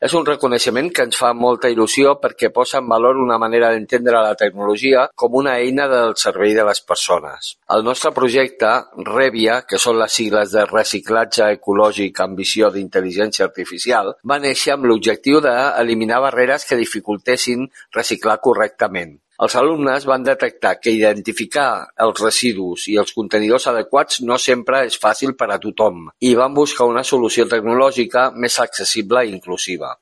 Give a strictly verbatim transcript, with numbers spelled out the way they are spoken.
És un reconeixement que ens fa molta il·lusió perquè posa en valor una manera d'entendre la tecnologia com una eina del servei de les persones. El nostre projecte, Revia, que són les sigles de Reciclatge Ecològic amb Visió d'Intel·ligència Artificial, va néixer amb l'objectiu d'eliminar barreres que dificultessin reciclar correctament. Els alumnes van detectar que identificar els residus i els contenidors adequats no sempre és fàcil per a tothom i van buscar una solució tecnològica més accessible i inclusiva.